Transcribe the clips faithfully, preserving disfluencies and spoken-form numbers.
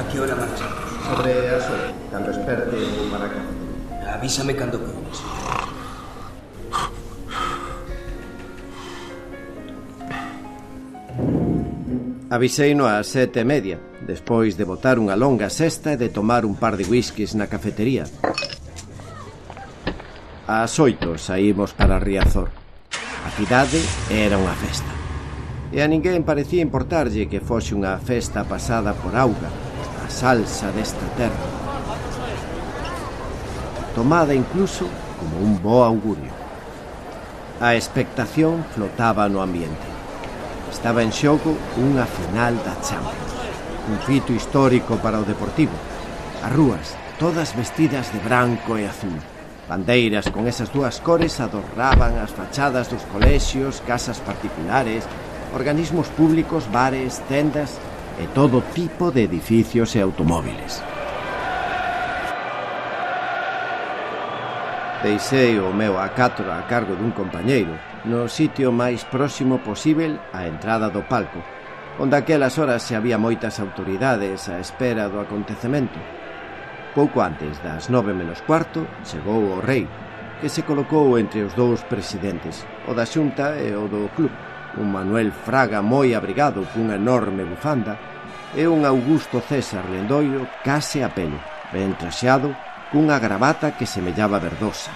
A que hora marchamos? Sobre as oito, cando esperte para a cafetería. Avísame cando queres. Aviseino ás sete e media, despois de botar unha longa sesta e de tomar un par de whiskies na cafetería. Ás oito saímos para Riazor. A cidade era unha festa. E a ninguén parecía importarlle que fose unha festa pasada por auga, a salsa desta terra, tomada incluso como un bo augurio. A expectación flotaba no ambiente. Estaba en xogo unha final da Champions, un fito histórico para o Deportivo. As rúas, todas vestidas de branco e azul. Bandeiras con esas dúas cores adornaban as fachadas dos colexios, casas particulares, organismos públicos, bares, tendas e todo tipo de edificios e automóviles. Deixei o meu A catro a cargo dun compañeiro no sitio máis próximo posíbel á entrada do palco, onde aquelas horas se había moitas autoridades á espera do acontecemento. Pouco antes das nove menos cuarto chegou o rei, que se colocou entre os dous presidentes, o da Xunta e o do club, un Manuel Fraga moi abrigado cunha enorme bufanda e un Augusto César Lendoiro case a pelo, ben traxeado, cunha gravata que semellaba verdosa.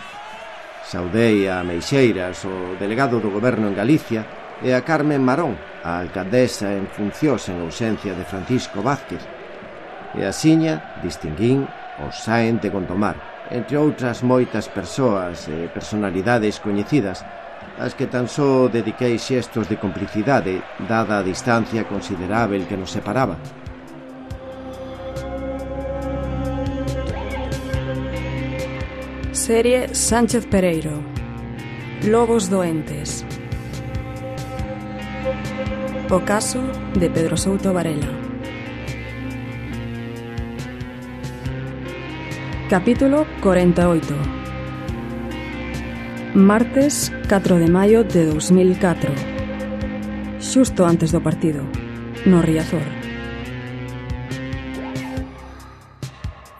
Saudei a Meixeiras, o delegado do goberno en Galicia, e a Carmen Marón, a alcaldesa en funcións en ausencia de Francisco Vázquez. E axiña distinguín o Sáenz de Gondomar, entre outras moitas persoas e personalidades coñecidas, as que tan só dediquei xestos de complicidade, dada a distancia considerável que nos separaba. Serie Sánchez Pereiro. Lobos doentes. O caso de Pedro Souto Varela. Capítulo cuarenta y ocho. Martes catro de maio de dos mil catro. Xusto antes do partido, no Riazor.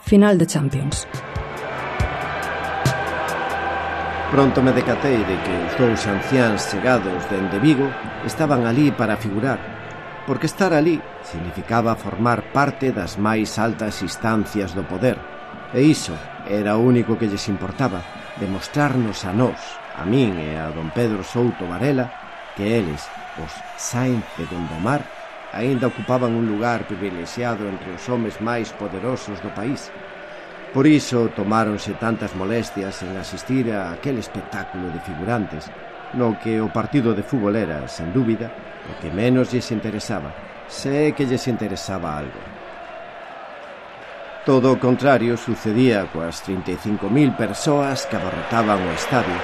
Final de Champions. Pronto me decatei de que os dous anciáns chegados dende Vigo estaban ali para figurar, porque estar ali significaba formar parte das máis altas instancias do poder, e iso era o único que lles importaba, demostrarnos a nós, a min e a don Pedro Souto Varela, que eles, os Sáenz de Gondomar, aínda ocupaban un lugar privilexiado entre os homes máis poderosos do país. Por iso tomáronse tantas molestias en asistir a aquel espectáculo de figurantes, no que o partido de fútbol era, sen dúbida, o que menos lles interesaba, se é que lles interesaba algo. Todo o contrario sucedía coas trinta e cinco mil persoas que abarrotaban o estadio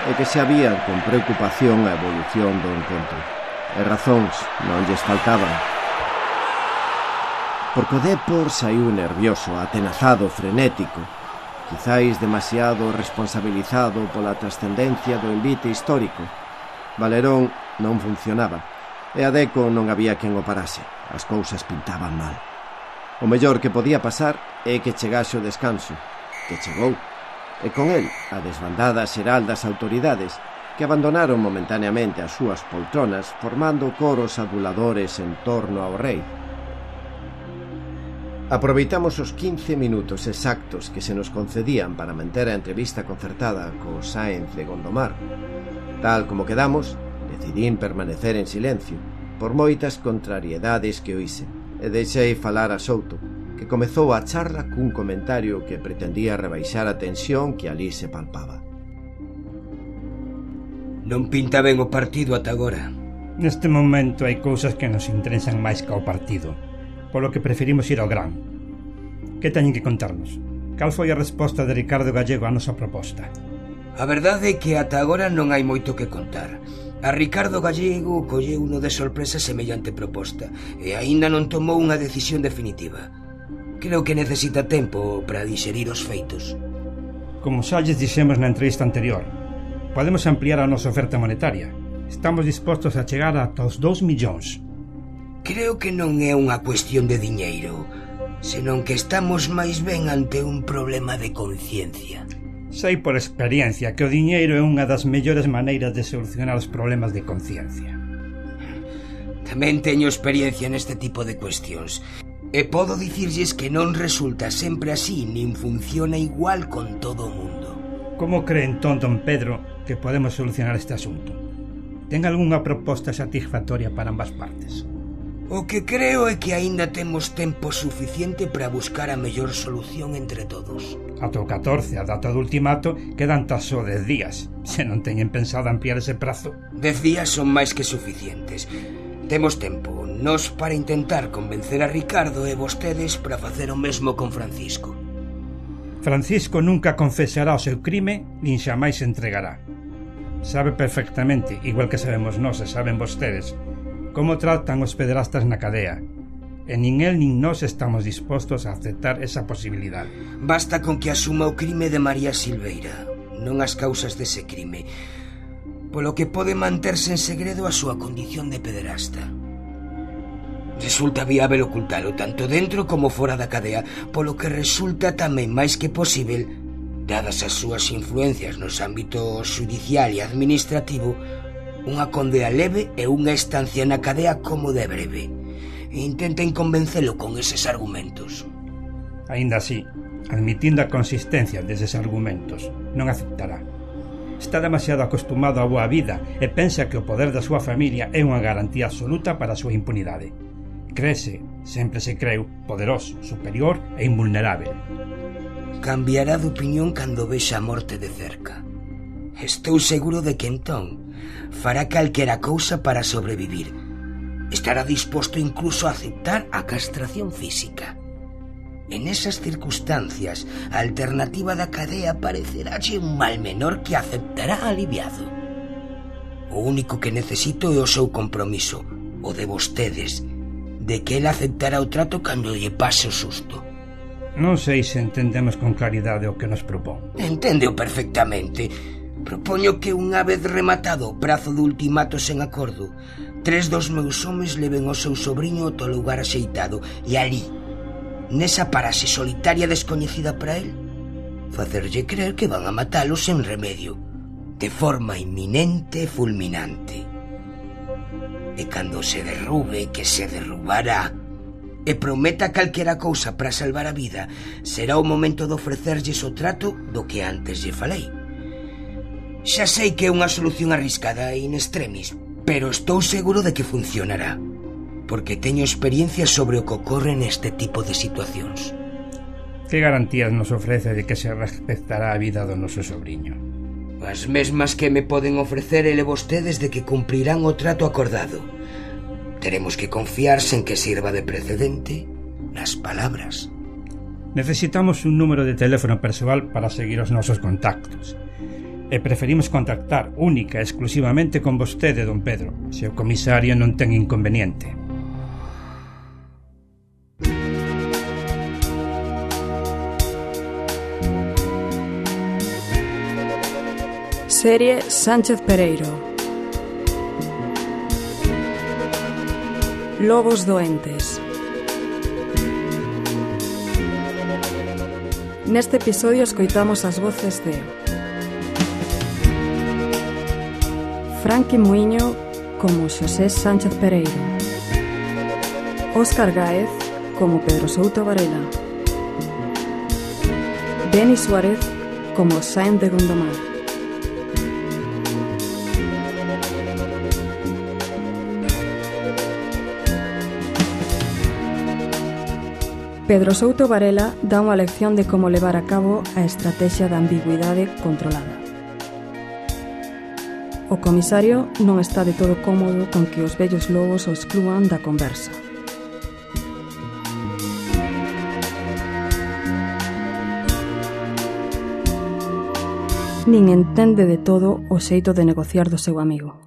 e que se habían con preocupación a evolución do encontro. E razóns non lles faltaban. Porque o Depor saiu nervioso, atenazado, frenético, quizáis demasiado responsabilizado pola trascendencia do envite histórico. Valerón non funcionaba, e a Deco non había quen o parase. As cousas pintaban mal. O mellor que podía pasar é que chegase o descanso, que chegou, e con el a desbandada xeral das autoridades, que abandonaron momentaneamente as súas poltronas formando coros aduladores en torno ao rei. Aproveitamos os quince minutos exactos que se nos concedían para manter a entrevista concertada co Sáenz de Gondomar. Tal como quedamos, decidín permanecer en silencio, por moitas contrariedades que oíse, e deixei falar a Souto, que comezou a charla cun comentario que pretendía rebaixar a tensión que ali se palpaba. Non pinta ben o partido ata agora. Neste momento hai cousas que nos interesan máis que o partido, polo que preferimos ir ao gran. Que teñen que contarnos? Cal foi a resposta de Ricardo Gallego á nosa proposta? A verdade é que ata agora non hai moito que contar. A Ricardo Gallego colleu uno de sorpresa semellante proposta e aínda non tomou unha decisión definitiva. Creo que necesita tempo para digerir os feitos. Como xa lles dixemos na entrevista anterior, podemos ampliar a nosa oferta monetaria. Estamos dispostos a chegar ata os dous millóns. Creo que non é unha cuestión de diñeiro, senón que estamos máis ben ante un problema de conciencia. Sei por experiencia que o diñeiro é unha das mellores maneiras de solucionar os problemas de conciencia. Tamén teño experiencia neste tipo de cuestións, e podo dicirlles que non resulta sempre así, nin funciona igual con todo o mundo. Como cree entón don Pedro que podemos solucionar este asunto? Ten algunha proposta satisfactoria para ambas partes? O que creo é que aínda temos tempo suficiente para buscar a mellor solución entre todos. Ata o catorce, a data do ultimato, quedan tan só dez días. Se non teñen pensado ampliar ese prazo. Dez días son máis que suficientes. Temos tempo, nós para intentar convencer a Ricardo e vostedes para facer o mesmo con Francisco. Francisco nunca confesará o seu crime, nin xamais se entregará. Sabe perfectamente, igual que sabemos nós e saben vostedes, como tratan os pederastas na cadea. E nin el nin nós estamos dispostos a aceptar esa posibilidade. Basta con que asuma o crime de María Silveira, non as causas dese crime, polo que pode manterse en segredo a súa condición de pederasta. Resulta viável ocultalo tanto dentro como fora da cadea, polo que resulta tamén máis que posível, dadas as súas influencias nos ámbitos xudicial e administrativo, unha condea leve e unha estancia na cadea como de breve. Intenten convencelo con eses argumentos. Aínda así, admitindo a consistencia deses argumentos, non aceptará. Está demasiado acostumado á boa vida e pensa que o poder da súa familia é unha garantía absoluta para a súa impunidade. Crese, sempre se creu, poderoso, superior e invulnerável. Cambiará de opinión cando vexa a morte de cerca. Estou seguro de que entón fará calquera cousa para sobrevivir. Estará disposto incluso a aceptar a castración física. En esas circunstancias, a alternativa da cadea parecerálle un mal menor que aceptará aliviado. O único que necesito é o seu compromiso, o de vostedes, de que ele aceptará o trato cando lle pase o susto. Non sei se entendemos con claridade o que nos propón. Enténdeo perfectamente. Propoño que unha vez rematado o prazo do ultimato sen acordo, tres dos meus homes leven o seu sobrinho ao teu lugar axeitado e ali, nesa paraxe solitaria descoñecida para el, facerlle creer que van a matalo sen remedio, de forma inminente e fulminante. E cando se derrube, que se derrubará, e prometa calquera cousa para salvar a vida, será o momento de ofrecerlles o trato do que antes lle falei. Xa sei que é unha solución arriscada e in extremis, pero estou seguro de que funcionará, porque teño experiencia sobre o que ocorre neste tipo de situacións. Que garantías nos ofrece de que se respectará a vida do noso sobrinho? As mesmas que me poden ofrecer ele vostedes de que cumprirán o trato acordado. Teremos que confiarse en que sirva de precedente nas palabras. Necesitamos un número de teléfono persoal para seguir os nosos contactos. E preferimos contactar única e exclusivamente con vostede, don Pedro, se o comisario non ten inconveniente. Serie Sánchez Pereiro. Lobos doentes. Neste episodio escoitamos as voces de Franqui Muiño como Xosé Sánchez Pereiro, Óscar Gáez como Pedro Souto Varela, Denis Suárez como Sáenz de Gondomar, Pedro Souto Varela dá unha lección de como levar a cabo a estrategia da ambigüidade controlada. O comisario non está de todo cómodo con que os vellos lobos o exclúan da conversa. Nin entende de todo o xeito de negociar do seu amigo.